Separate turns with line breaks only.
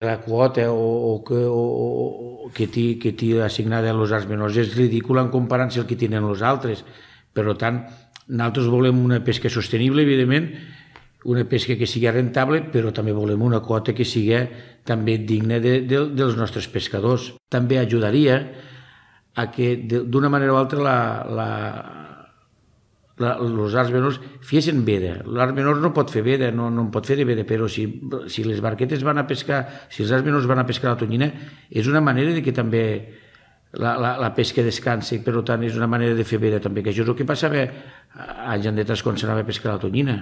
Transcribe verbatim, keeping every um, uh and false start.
La quota o, o que, o, o que té, que té assignada als arts menors és ridícula en comparació amb el que tenen els altres. Per tant, nosaltres volem una pesca sostenible, evidentment, una pesca que sigui rentable, però també volem una quota que sigui també digna de, de, dels nostres pescadors. També ajudaria a que d'una manera o altra la, la, la, els arts menors fessin veda. L'art menor no pot fer veda, no, no pot fer de veda, però si, si les barquetes van a pescar, si els arts menors van a pescar la tonyina, és una manera de que també la, la, la pesca descansi, per tant és una manera de fer veda també, que això és el que passava anys enrere quan s'anava a pescar la tonyina.